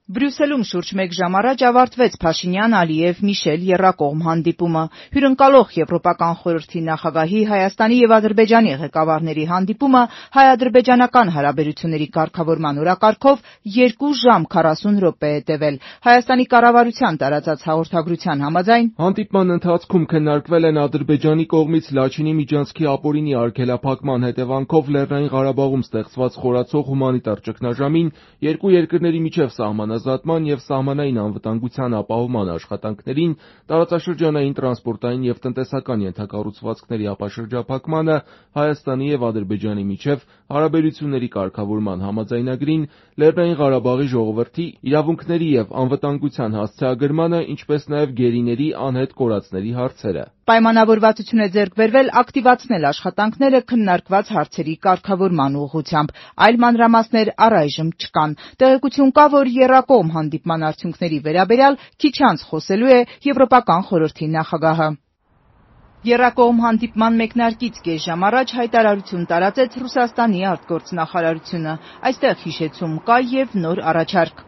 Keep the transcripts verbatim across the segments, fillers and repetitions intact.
Բրյուսելում շուրջ մեկ ժամ առաջ ավարտվեց Փաշինյան-Ալիև-Միշել եռակողմ հանդիպումը։ Հյուրընկալող Եվրոպական խորհրդի նախագահի Հայաստանի և Ադրբեջանի ղեկավարների հանդիպումը հայ-ադրբեջանական հարաբերությունների կարգավորման օրակարգով երկու ժամ քառասուն րոպե է տևել։ Հայաստանի կառավարության տարածած հաղորդագրության համաձայն հանդիպման ընթացքում քննարկվել են Ադրբեջանի կողմից Լաչինի միջանցքի ապօրինի արգելափակման հետևանքով Լեռնային Ղարաբաղում ստեղծված խորացող հումանիտար ճգնաժամին, երկու երկրների միջև սահմանազատման և սահմանային անվտանգության ապահովման աշխատանքներին, տարածաշրջանային տրանսպորտային և տնտեսական ենթակառուցվածքների ապաշրջափակմանը, Հայաստանի և Ադրբեջանի միջև հարաբերությունների կարգավորման համաձայնագրին, Լեռնային Ղարաբաղի ժողովրդի իրավունքների և անվտանգության հասցեագրմանը, ինչպես նաև գերիների անհետ կորածների հարցերը։ Պայմանավորվածություն է ձեռք բերվել ակտիվացնել աշխատանքները քննարկված հարցերի կարգավորման ուղղությամբ, այլ մանրամասներ առայժմ չկան։ Տեղեկություն կա, որ եռակողմ հանդիպման արդյունքների վերաբերյալ քիչ անց խոսելու է Եվրոպական խորհրդի նախագահը։ Եռակողմ հանդիպման մեկնարկից կես ժամ առաջ հայտարարություն տարածեց Ռուսաստանի արտգործնախարարությունը։ Այստեղ հիշեցում կա և նոր առաջարկ։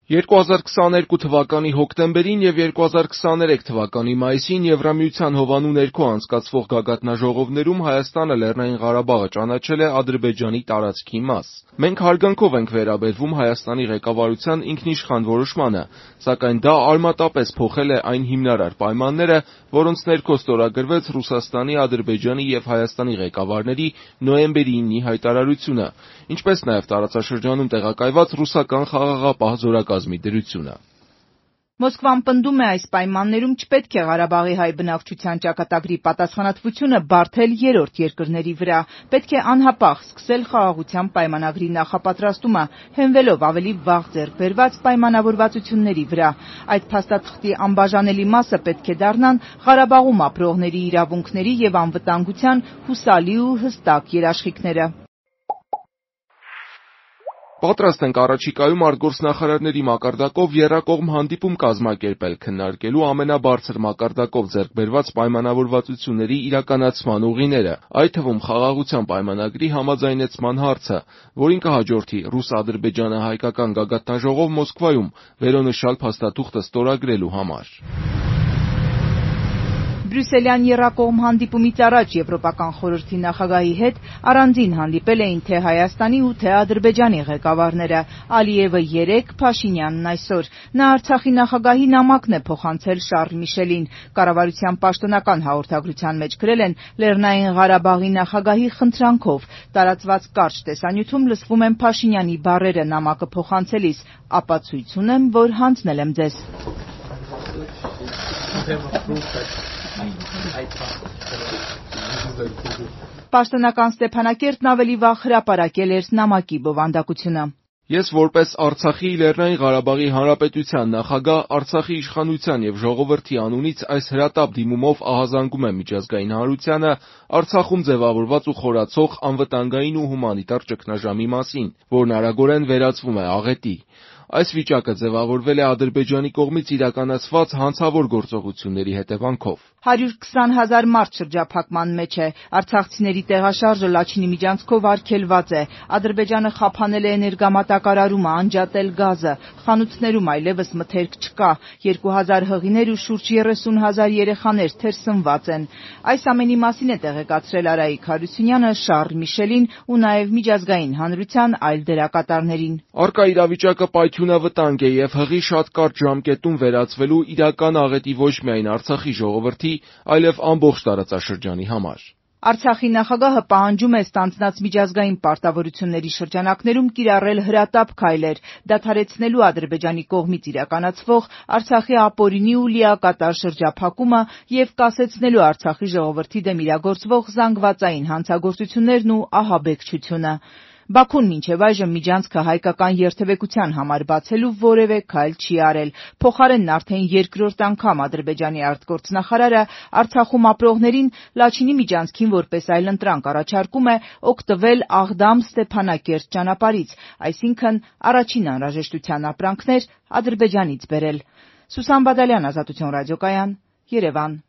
երկու հազար քսաներկու թվականի հոկտեմբերին և երկու հազար քսաներեք թվականի մայիսին Եվրամիության հովանու ներքո անցկացվող գագաթնաժողովներում Հայաստանը Լեռնային Ղարաբաղը ճանաչել է Ադրբեջանի տարածքի մաս։ Մենք հարգանքով ենք վերաբերվում Հայաստանի ղեկավարության ինքնիշխան որոշմանը, սակայն դա արմատապես փոխել է այն հիմնարար պայմանները, որոնց ներքո ստորագրվեց Ռուսաստանի, Ադրբեջանի և Հայաստանի ղեկավարների նոյեմբերի իննի հայտարարությունը, ինչպես նաև տարածաշրջանում տեղակայված ռուսական խաղաղապահ զորակազմի դրությունը։ Մոսկվան պնդում է, այս պայմաններում չպետք է Ղարաբաղի հայ բնակչության ճակատագրի պատասխանատվությունը բարդել երրորդ երկրների վրա, պետք է անհապաղ սկսել խաղաղության պայմանագրի նախապատրաստումը, հենվելով ավելի վաղ ձեռք բերված պայմանավորվածությունների վրա։ Այդ փաստաթղթի անբաժանելի մասը պետք է դառնան Ղարաբաղում ապրողների իրավունքների և անվտանգության հուսալի ու հստակ երաշխիքները։ Պատրաստ ենք առաջիկայում արտգործնախարարների մակարդակով եռակողմ հանդիպում կազմակերպել քննարկելու ամենաբարձր մակարդակով ձեռք բերված պայմանավորվածությունների իրականացման ուղիները, այդ թվում խաղաղության պայմանագրի համաձայնեցման հարցը, որին կհաջորդի ռուս-ադրբեջանահայկական գագաթնաժողով Մոսկվայում վերոնշյալ փաստաթուղթը ստորագրելու համար։ Բրյուսելյան եռակողմ հանդիպումից առաջ Եվրոպական խորհրդի նախագահի հետ առանձին հանդիպել էին թե Հայաստանի ու թե Ադրբեջանի ղեկավարները՝ Ալիևը երեկ, Փաշինյանն այսօր։ Նա Արցախի նախագահի նամակն է փոխանցել Շառլ Միշելին։ Կառավարության պաշտոնական հաղորդագրության մեջ գրել են Լեռնային Ղարաբաղի նախագահի խնդրանքով։ Տարածված կարճ տեսանյութում լսվում են Փաշինյանի բառերը նամակը փոխանցելիս. «Ապացույց ունեմ, որ հանձնել եմ ձեզ»։ Պաշտոնական Ստեփանակերտն ավելի վաղ հրապարակել էր նամակի բովանդակությունը։ Ես որպես Արցախի, Լեռնային Ղարաբաղի Հանրապետության նախագահ Արցախի իշխանության և ժողովրդի անունից այս հրատապ դիմումով ահազանգում եմ միջազգային հանրությանը Արցախում ձևավորված ու խորացող անվտանգային ու հումանիտար ճգնաժամի մասին, որն արագորեն վերածվում է աղետի։ Այս վիճակը ձևավորվել է Ադրբեջանի կողմից իրականացված հանցավոր գործողությունների հետևանքով։ հարյուր քսան հազար մարդ շրջափակման մեջ է։ Արցախցիների տեղաշարժը Լաչինի միջանցքով արգելված է։ Ադրբեջանը խափանել է էներգամատակարարումը, անջատել գազը։ Խանութներում այլևս մթերք չկա։ Երկու հազար հղիներ ու շուրջ երեսուն հազար երեխաներ թերսնված են։ Այս ամենի մասին է տեղեկացրել Արայիկ Հարությունյանը Շառլ Միշելին ու նաև միջազգային հանրության այլ դերակատարներին։ Առկա իրավիճակը պայթյունավտանգ է և հղի շատ կարճ ժամկետում վերածվելու իրական աղետի ոչ միայն Արցախի ժողովրդի, այլև ամբողջ տարածաշրջանի համար։ Արցախի նախագահը պահանջում է ստանձնած միջազգային պարտավորությունների շրջանակներում կիրառել հրատապ քայլեր՝ դադարեցնելու Ադրբեջանի կողմից իրականացվող Արցախի ապօրինի ու լիակատար շրջափակումը և կասեցնելու Արցախի ժողովրդի դեմ իրագործվող զանգվածային հանցագործություններն ու ահաբեկչությունը։ Բաքուն մինչև այժմ միջանցքը հայկական երթևեկության համար բացելու որևէ քայլ չի արել։ Փոխարենն արդեն երկրորդ անգամ Ադրբեջանի արտգործնախարարը Արցախում ապրողներին Լաչինի միջանցքին որպես այլընտրանք առաջարկում է օգտվել Աղդամ-Ստեփանակերտ ճանապարհից, այսինքն առաջին անհրաժեշտության ապրանքներ Ադրբեջանից բերել։ Սուսան Բադալյան, Ազատություն ռադիոկայան, Երևան։